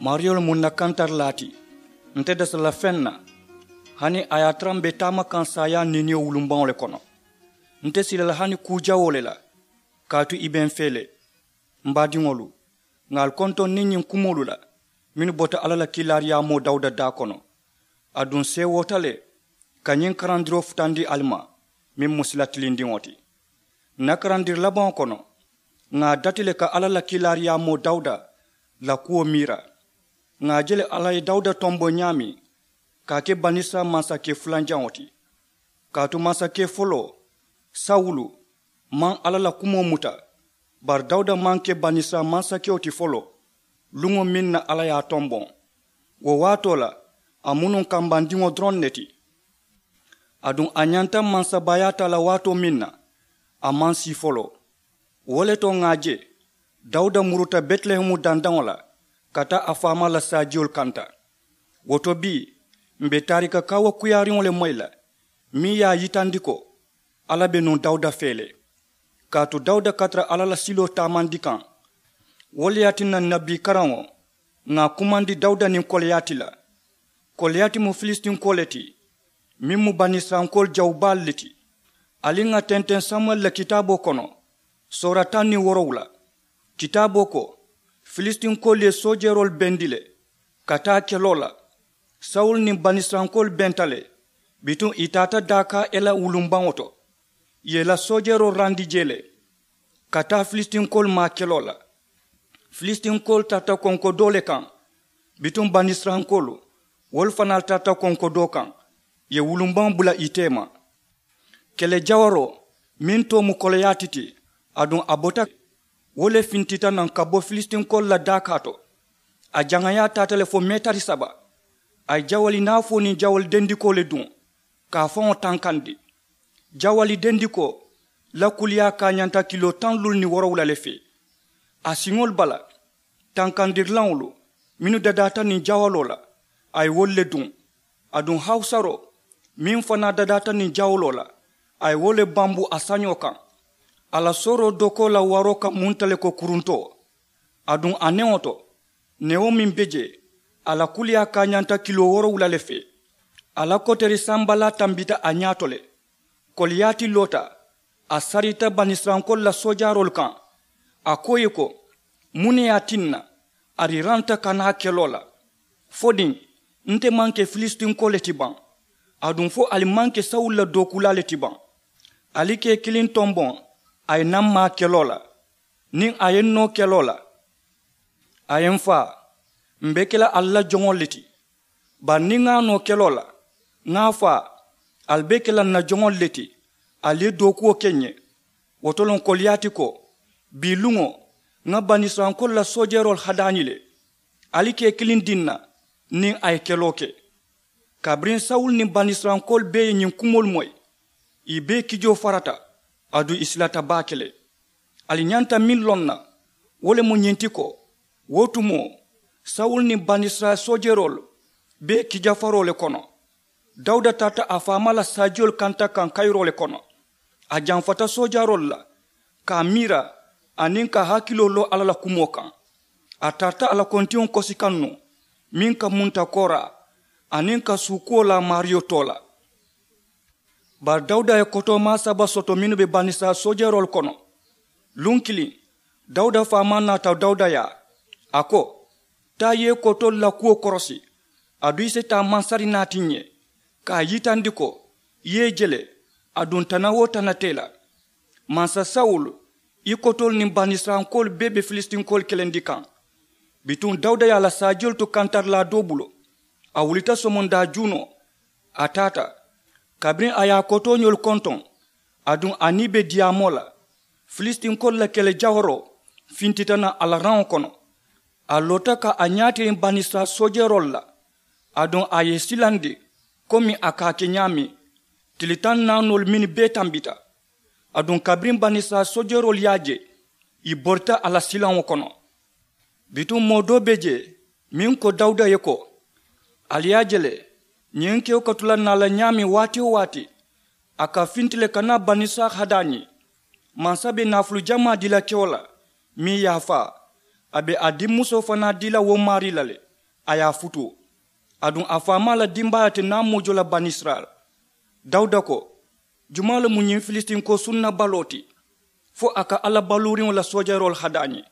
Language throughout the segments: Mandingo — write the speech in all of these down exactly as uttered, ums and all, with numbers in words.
Maariyo le mu ǹ na kantarilaa ti. Nte dasa la feŋ na, hani a ye a tara m̀ be taama kaŋ saayaa niiniyo wulumbaŋo le kono. Nte sila la hani kuu jawoo le la, kaatu i be m̀ fee le. M̀ baadiŋolu, ŋà ali kontoŋ niŋ ñiŋ kumoolu la mennu bota alla la kiilaariyaamoo dawuda daa kono. Aduŋ seewoota le ka ñiŋ karandiroo futandi ali ma, meŋ mu sila tilindiŋo ti. Ǹ na karandiri labaŋo kono, ŋà a dati le ka alla la kiilaariyaamoo dawuda la kuwo miira. Ŋà a je le alla ye dawuda tomboŋ ñaameŋ ka a ke banisirayila mansakee fulanjaŋo ti. Kaatu mansakee foloo, sawulu, maŋ alla la kumoo muta. Bari dawuda maŋ ke banisirayila mansakewo ti foloo, luŋo meŋ na alla ye a tomboŋ. Wo waatoo la, a mu nuŋ kambandiŋo doroŋ ne ti. Aduŋ a ñanta mansabaayaa taa la waatoo meŋ na, a maŋ sii foloo. Wo le to ŋà a je dawuda muruta betilehemu dandaŋo la ka taa a faamaa la saajiyolu kanta. Wo to bii, m̀ be taarika kaawakuyaariŋo le moyi la, meŋ ye a yitandi ko alla be nuŋ dawuda fee le. Kaatu dawuda ka tara alla la siloo taamandi kaŋ. Wo le ye a tinna ǹ na bii karaŋo, ŋà a kumandi dawuda niŋ koliyaati la. Koliyaati mu filisitinkoo le ti, meŋ mu banisirayilankoolu jawubaalu le ti. Ali ŋà tenteŋ samuwɛli la kitaaboo kono, soora taŋ niŋ woorowula. Kitaaboo ko, filisitinkoo le ye soojeroolu bendi le ka taa keloo la. Sawulu niŋ banisirayilankoolu benta le, bituŋ ì taata daakaa ela wulumbaŋo to. Ì ye ì la soojeroolu randi jee le ka taa filisitinkoo maa keloo la. Filisitinkoo taata konko doo le kaŋ, bituŋ banisirayilankoolu wolu fanaa taata konko doo kaŋ, ì ye wulumbaŋo bula ì teema. Kele jawaroo meŋ too mu koloyaati ti, aduŋ a bota, wo le fintita naŋ ka bo filisitinkoo la daakaa to. A jaŋayaa taata le fo meetari saba. A ye jawali naafoo niŋ jawali dendikoo le duŋ ka a faŋo tankandi. Jawali dendikoo la kuliyaa kaañanta kiloo taŋ luulu niŋ woorowula le fee. A siŋolu bala tankandirilaŋolu mennu dadaata niŋ jawaloo la, a ye wolu le duŋ. Aduŋ hawusaroo meŋ fanaa dadaata niŋ jawaloo la, a ye wo le bambu a sañoo kaŋ. A la sooroo dokoo la waroo ka munta le ko kuruntoo. Aduŋ a newo to, newo meŋ be jee, a la kuliyaa kaañanta kiloo woorowula le fee. A la koteeri sambalaa tambita a ñaa to le. Koliyaati loota, a sarita banisirayilankoolu la soojaaroolu kaŋ. A ko ì ye ko, muŋ ne ye a tinna ali ranta ka naa keloo la? Fo niŋ nte maŋ ke filisitinkoo le ti baŋ? Aduŋ fo ali maŋ ke sawulu la dookuulaa le ti baŋ? Ali ka ì kiliŋ tomboŋ a ye naa m̀ maa keloo la. Niŋ a ye n noo keloo la, a ye m faa, m̀ be ke la ali la joŋolu le ti. Bari niŋ ŋà a noo keloo la, ŋà a faa, ali be ke la ǹ na joŋolu le ti, ali ye dookuwo ke ǹ ye. Wo to loŋ koliyaati ko, bii luŋo ŋà banisirayilankoolu la soojeroolu hadaañi le. Ali ka ì kiliŋ dii ǹ na niŋ a ye keloo ke. Kabiriŋ sawulu niŋ banisirayilankoolu bee ye ñiŋ kumoolu moyi, ì bee kijoo farata, aduŋ ì silata baake le. Ali ñanta meŋ loŋ na, wo le mu ñiŋ ti ko, wo tumoo sawulu niŋ banisirayila soojeroolu bee kijafaroo le kono. Dawuda taata a faamaa la saajiyoolu kanta kaŋ kayiroo le kono. A jamfata soojaaroolu la ka a miira, aniŋ ka a hakiloo loo alla la kumoo kaŋ. A tarata a la kontiŋo kosi kaŋ nuŋ, meŋ ka munta kooraa, aniŋ ka suukuwo laa maariyo too la. Bari dawuda ye kotoomaa saba soto mennu be banisirayila soojeroolu kono. Luŋ kiliŋ, dawuda faamaa naata dawuda yaa, a ko, taa i ye kotoolu la kuwo korosi, aduŋ i si taa mansari naati ǹ ye, ka a yitandi ko i ye i je le, aduŋ tana-wo-tana te i la. Mansa sawulu, i kotoolu niŋ banisirayilankoolu bee be filisitinkoolu kelendi kaŋ. Bituŋ dawuda ye a la saajiyolu tu kantarilaa doo bulu. A wulita somondaa juunoo, a taata. Kabiriŋ a ye a kotooñoolu kontoŋ, aduŋ a niŋ i be diyaamoo la, filisitinkoolu la kele jawaroo fintita naŋ a la raŋo kono. A loota ka a ñaatiriŋ banisirayila soojeroolu la, aduŋ a ye i silandi komi a ka a ke ñaameŋ. Tili taŋ naanoolu mennu bee tambita. Aduŋ kabiriŋ banisirayila soojeroolu ye a je, ì borita a la silaŋo kono. Bituŋ moo doo be jee, meŋ ko dawuda ye ko, ali ye a je le, ñiŋ kewo ka tu la naa la ñaameŋ waati-wo-waati, a ka finti le ka naa banisirayila hadaañi. Mansa be naafulu jamaa dii la kewo la, meŋ ye a faa, a be a dimmusoo fanaa dii la wo maarii la le. a ye a futuu. Aduŋ a faamaa la dimbaayoo te naamoo jo la banisirayila. Dawuda ko, jumaa le mu ñiŋ filisitinko sunna baloo ti fo a ka alla baluuriŋo la soojaroolu hadaa ñiŋ?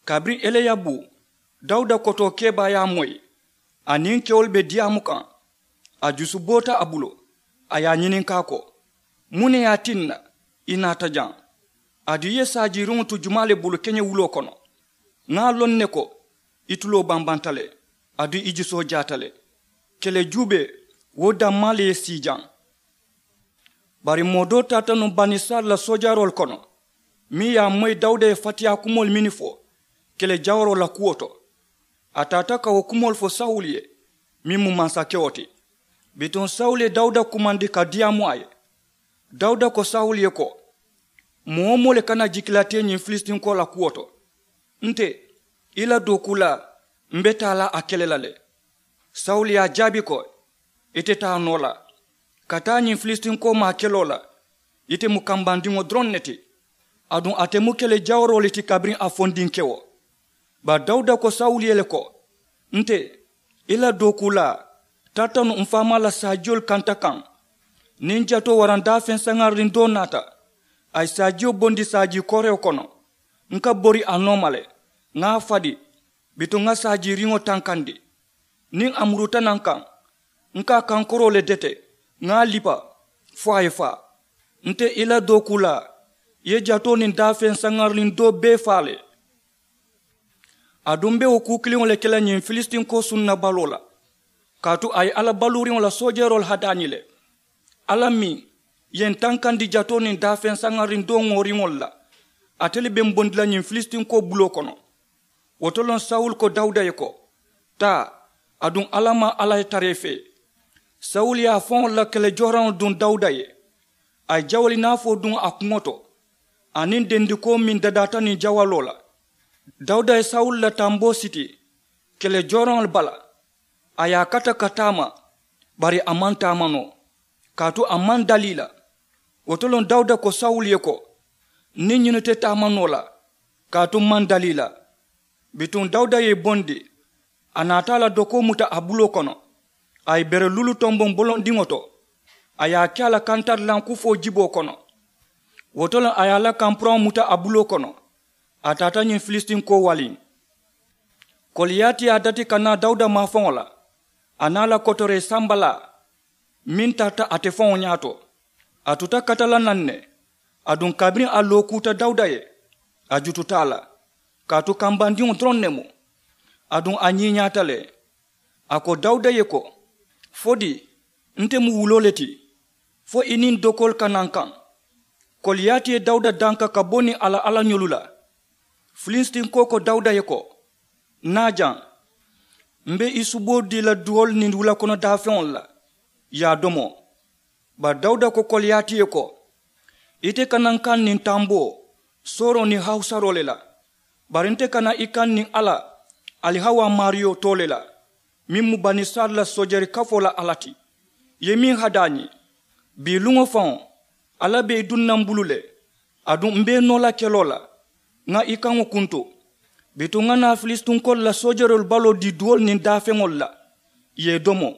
Kabiriŋ eleyabu, dawuda kotoo kebaa ye a moyi, a niŋ kewolu be diyaamu kaŋ, a jusu boota a bulu, a ye a ñininkaa ko, muŋ ne ye a tinna i naata jaŋ? Aduŋ i ye saajiiriŋo tu jumaa le bulu keñewuloo kono? Ŋa a loŋ ne ko i tuloo bambanta le, aduŋ i jusoo jaata le. Kele juubee, wo dammaa le ye sii jaŋ. Bari moo doo taata nuŋ banisirayila la soojaroolu kono, meŋ ye a moyi dawuda ye fatiyaa kumoolu mennu fo kele jawaroo la kuwo to. A taata ka wo kumoolu fo sawulu ye, meŋ mu mansakewo ti. Bituŋ sawulu ye dawuda kumandi ka diyaamu a ye. Dawuda ko sawulu ye ko, moo-wo-moo le kana jikila tee ñiŋ filisitinko la kuwo to. Nte, i la dookuulaa, m be taa la a kele la le. Sawulu ye a jaabi ko, ite taa noo la ka taa ñiŋ filisitinko maa keloo la. Ite mu kambandiŋo doroŋ ne ti, aduŋ ate mu kele jawaroo le ti kabiriŋ a fondinkewo. Bari dawuda ko sawulu ye le ko, nte, i la dookuulaa, tarata nuŋ m faamaa la saajiyolu kanta kaŋ. Niŋ jatoo waraŋ daafeŋ saŋaririŋ doo naata, a ye saajiyo bondi saajii koorewo kono, n ka bori a nooma le, ŋa a fadi, bituŋ ŋa saajiiriŋo tankandi. Niŋ a muruta naŋ kaŋ, n ka a kankoroo le dete, ŋa a lipa fo a ye faa. Nte i la dookuulaa, i ye jatoo niŋ daafeŋ saŋaririŋ doo bee faa le. Aduŋ m be wo kuu kiliŋo le ke la ñiŋ filisitinko sunna baloo la, kaatu a ye alla baluuriŋo la soojeroolu hadaani le. Alla meŋ ye n tankandi jatoo niŋ daafeŋ saŋaririŋ doo ŋooriŋolu la, ate le be m bondi la ñiŋ filisitinko buloo kono. Wo to loŋ sawulu ko dawuda ye ko, taa, aduŋ alla maŋ alla ye tara i fee. Sawulu ye a faŋo la kele joharaŋo duŋ dawuda ye, a ye jawali naafoo duŋ a kuŋo to, aniŋ dendikoo meŋ dadaata niŋ jawaloo la. Dawuda ye sawulu la tamboo siti kele joharaŋolu bala, a ye a kata ka taama, bari a maŋ taama noo, kaatu a maŋ dalii la. Wo to loŋ dawuda ko sawulu ye ko, niŋ ñunu te taama noo la, kaatu m maŋ dalii la. Bituŋ dawuda ye i bondi, a naata a la dokoo muta a buloo kono, a ye bere lulu tomboŋ bolondiŋo to, a ye a ke a la kantarilaŋ kufoo jiboo kono. Wo to le a ye a la kampuraŋo muta a buloo kono, a taata ñiŋ filisitinko waliŋ. Koliyaati ye a dati ka naa dawuda maafaŋo la, a naa la kotoree sambalaa meŋ tarata ate faŋo ñaato. A tuta kata la naŋ ne, aduŋ kabiriŋ a lookuuta dawuda ye, a jututa a la, kaatu kambandiŋo doroŋ ne mu, aduŋ a ñiiñaata le. A ko dawuda ye ko, fo dii, nte mu wuloo le ti, fo i niŋ dokoolu ka naa n kaŋ? Koliyaati ye dawuda danka ka bo niŋ a la allañolu la. Filisitinko ko dawuda ye ko, naa jaŋ, m be i suboo dii la duwoolu niŋ wulakono daafeŋolu la, i ye a domo. Bari dawuda ko koliyaati ye ko, ite kana n kaŋ niŋ tamboo, sooroo niŋ hawusaroo le la, bari nte kana i kaŋ niŋ alla, alihawaa maariyo too le la, meŋ mu banisirayila la soojeri kafoo la alla ti. I ye meŋ hadaa ñiŋ, bii luŋo faŋo, alla be i duŋ na m bulu le, aduŋ m be i noo la keloo la, ŋa i kaŋo kuntu. Bituŋ ŋa naa filisitinkoolu la soojeroolu baloo dii duwoolu niŋ daafeŋolu la, i ye i domo.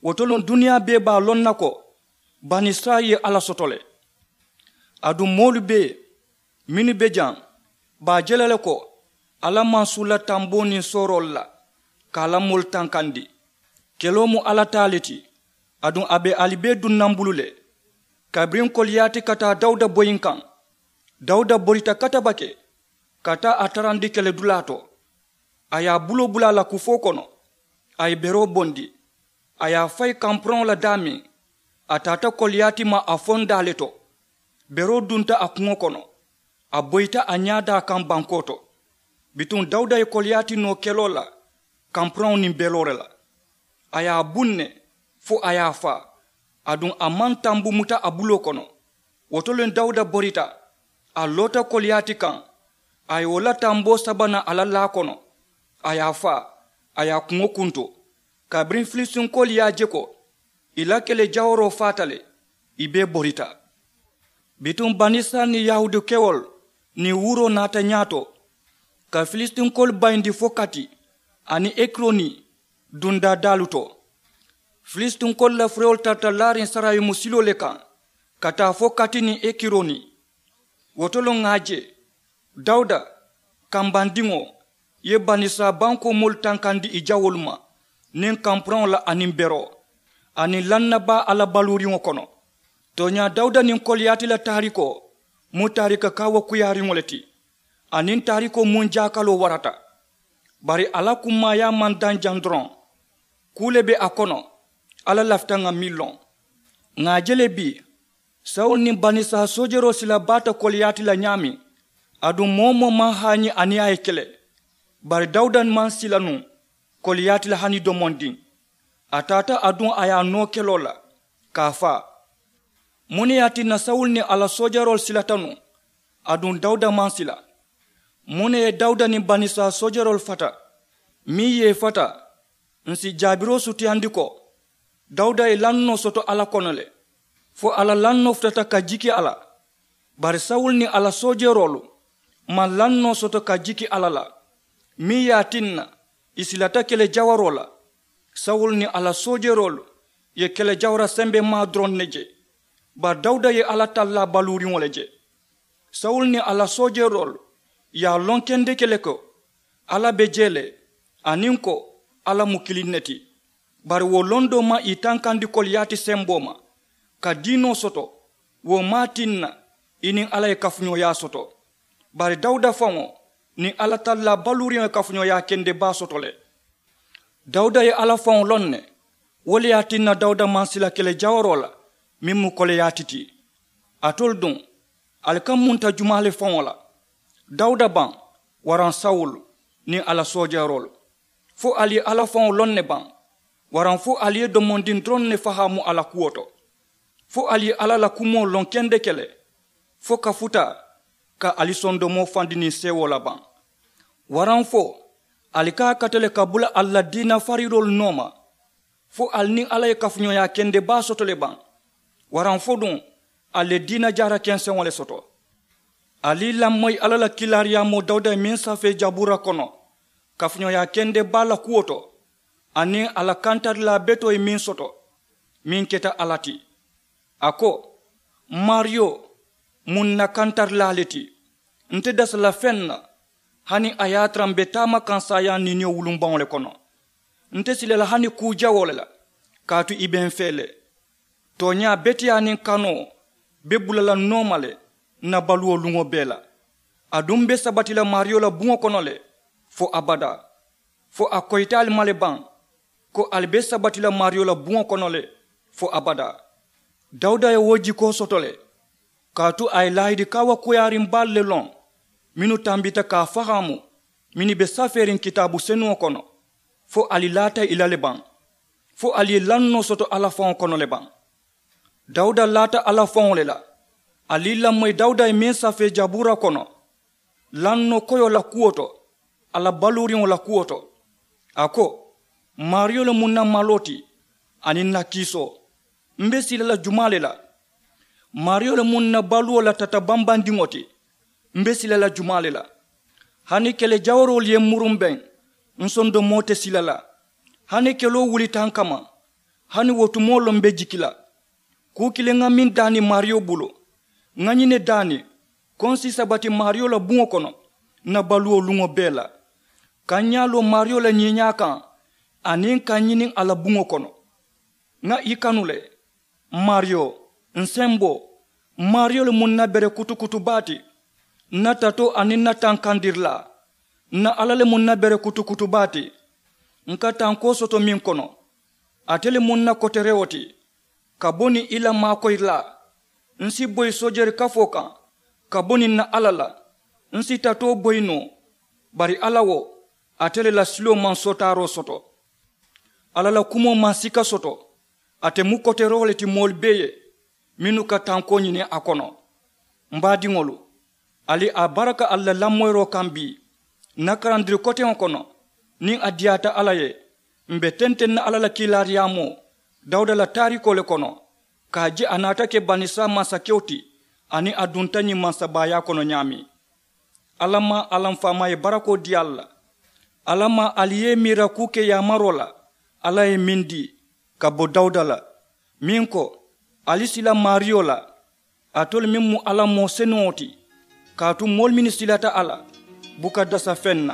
Wo to loŋ duniyaa bee be a loŋ na ko banisirayila ye alla soto le. Aduŋ moolu bee mennu be jaŋ, be a je la le ko alla maŋ suula tamboo niŋ sooroolu la ka a la moolu tankandi. Keloo mu alla taa le ti, aduŋ a be ali bee duŋ na m bulu le. Kabiriŋ koliyaati ka taa dawuda boyiŋ kaŋ, dawuda borita katabake ka taa a tarandi kele dulaa to. A ye a buloo bula a la kufoo kono, a ye beroo bondi, a ye a fayi kampuraŋo la daameŋ. A taata koliyaati ma a fondaa le to, beroo dunta a kuŋo kono, a boyita a ñaadaa kaŋ bankoo to. Bituŋ dawuda ye koliyaati noo keloo la kampuraŋo niŋ beloore la. A ye a buŋ ne fo a ye a faa, aduŋ a maŋ tambu muta a buloo kono. Wo to le dawuda borita, a loota koliyaati kaŋ, a ye wo la tamboo saba naŋ a la laa kono, a ye a faa, a ye a kuŋo kuntu. Kabiriŋ filisitinkoolu ye a je ko i la kele jawaroo faata le, i bee borita. Bituŋ banisirayila niŋ yahuudu kewolu niŋ wuuroo naata ñaato, ka filisitinkoolu bayindi fo kati aniŋ ekironi, Dundaa daalu to, filistinkolu la furewolu tarata laariŋ sarayimu siloo le kaŋ ka taa fo kati niŋ ekironi. Wo to loŋ ŋà a je dawuda kambandiŋo ye banisirayila bankoo moolu tankandi ì jawoolu ma niŋ kampuraŋo la aniŋ beroo aniŋ lannabaa alla baluuriŋo kono. Tooñaa dawuda niŋ koliyaati la taarikoo mu taarika kaawakuyaariŋo le ti. Aniŋ taarikoo muŋ jaakaloo warata. Bari a la kummaayaa maŋ daŋ jaŋ doroŋ. Kuu le be a kono. Alla lafita ŋà meŋ loŋ ŋà a je le bii sawulu niŋ banisirayila soojeeroo sila baata koliyaati la ñaameŋ. Aduŋ moo-wo-moo maŋ haañi aniŋ a ye kele. Bari dawuda maŋ sila nuŋ koliyaati la hani domondiŋ. A taata aduŋ a ye a noo keloo la ka a faa. Muŋ ne ye a tinna sawulu niŋ a la soojeeroolu silata nuŋ? Aduŋ dawuda maŋ sila. Muŋ ne ye dawuda niŋ banisirayila soojeeroolu fata? Meŋ ye ì fata ǹ si jaabiroo sutiyandi ko dawuda ye lannoo soto alla kono le. Fo a la lannoo futata ka jiki a la. Bari sawulu niŋ a la soojeeroolu maŋ lannoo soto ka jiki alla la. Meŋ ye a tinna ì silata kele jawaroo la. Sawulu niŋ a la soojeeroolu ye kele jawara sembemaa doroŋ ne je. Bari dawuda ye alla tallaa baluuriŋo le je. Sawulu niŋ a la soojeeroolu ye a loŋ kendeke le ko alla be jee le aniŋ ko alla mu kiliŋ ne ti. Bari wo londoo maŋ ì tankandi koliyaati semboo ma ka diinoo soto. Wo maŋ a tinna ì niŋ alla ye kafuñooyaa soto. Bari dawuda faŋo niŋ alla tallaa baluuriŋo ye kafuñooyaa kende baa soto le. Dawuda ye alla faŋo loŋ ne. Wo le ye a tinna dawuda maŋ sila kele jawaroo la meŋ mu koliyaati ti. Alitolu duŋ ali ka munta jumaa le faŋo la? Dawuda baŋ waraŋ sawulu niŋ a la soojeeroolu? Fo ali ye alla faŋo loŋ ne baŋ? Waraŋ fo ali ye domondiŋ doroŋ ne fahaamu a la kuwo to? Fo ali ye alla la kumoo loŋ kendeke le fo ka futa ka ali sondomoo fandi niŋ seewoo la baŋ? Waraŋ fo ali ka a kata le ka bula ali la diina fariiroolu nooma? Fo ali niŋ alla ye kafuñooyaa kende baa soto le baŋ? Waraŋ fo duŋ ali ye diina jaara kenseŋo le soto? Ali lamoyi alla la kiilaariyaamoo dawuda ye meŋ safee jabuura kono kafuñooyaa kende baa la kuwo to aniŋ a la kantarilaa betoo ye meŋ soto meŋ keta alla ti. A ko, maariyo mu ǹ na kantarilaa le ti. Nte dasa la feŋ na hani a ye a tara m̀ be taama kaŋ saayaa niiniyo wulumbaŋo le kono. Nte sila la hani kuu jawoo le la kaatu i be m̀ fee le. Tooñaa beteyaa niŋ kanoo be bula la nooma le ǹ na baluwo luŋo bee la. Aduŋ m̀ be sabati la maariyo la buŋo kono le fo abadaa. Fo a koyita ali ma le baŋ ko ali be sabati la maariyo la buŋo kono le fo abadaa? Dawuda ye wo jikoo soto le kaatu a ye laahidi kaawakuyaariŋ baalu le loŋ mennu tambita ka a fahaamu mennu be safeeriŋ kitaabu senuŋo kono. Fo ali laata ì la le baŋ? Fo ali ye lannoo soto alla faŋo kono le baŋ? Dawuda laata alla faŋo le la. Ali lamoyi dawuda ye meŋ safee jabuura kono lannoo koyoo la kuwo to a la baluuriŋo la kuwo to. A ko, maariyo le mu ǹ na maloo ti aniŋ ǹ na kiisoo. M̀ be sila la jumaa le la? Maariyo le mu ǹ na baluwo la tata bambandiŋo ti. M̀ be sila la jumaa le la? Hani kele jawaroolu ye m̀ murumbeŋ, m̀ sondomoo te sila la. Hani keloo wulita ǹ kamma, hani wo tumoo loŋ m̀ be jiki la. Kuu kiliŋ ŋa meŋ daani maariyo bulu, ŋa ñiŋ ne daani ko ǹ si sabati maariyo la buŋo kono ǹ na baluwo luŋo bee la. Ka ǹ ñaa loo maariyo la ñiiñaa kaŋ aniŋ ka ǹ ñiniŋ a la buŋo kono. Ŋa i kanu le. Maariyo, ǹ semboo, maariyo le mu ǹ na bere kutukutu baa ti. Ǹ na tatoo aniŋ ǹ na tankandirilaa, ǹ na alla le mu ǹ na bere kutukutu baa ti. Ǹ ka tankoo soto meŋ kono, ate le mu ǹ na koterewo ti. Ka bo niŋ i la maakoyirilaa, ǹ si boyi soojeeri kafoo kaŋ ka bo niŋ ǹ na alla la. Ǹ si tatoo boyi noo, bari alla wo, ate le la siloo maŋ sootaaroo soto. Alla la kumoo maŋ sika soto. Ate mu koteroo le ti moolu bee ye mennu ka tankoo ñini a kono. M baadiŋolu, ali a baraka ali la lamoyiroo kaŋ bii. Ǹ na karandiri koteŋo kono, niŋ a diyaata alla ye, m̀ be tenteŋ na alla la kiilaariyaamoo dawuda la taarikoo le kono, ka a je a naata ke banisirayila mansakewo ti aniŋ a dunta ñiŋ mansabaayaa kono ñaameŋ. Alla maŋ alla m faamaa ye barakoo dii ali la. Alla maŋ ali ye i miira kuu ke yaamaroo la Alla ye meŋ dii ka bo dawuda la, meŋ ko, ali sila maariyo la, alitolu meŋ mu alla moo senuŋo ti, kaatu moolu mennu silata a la buka dasa feŋ na.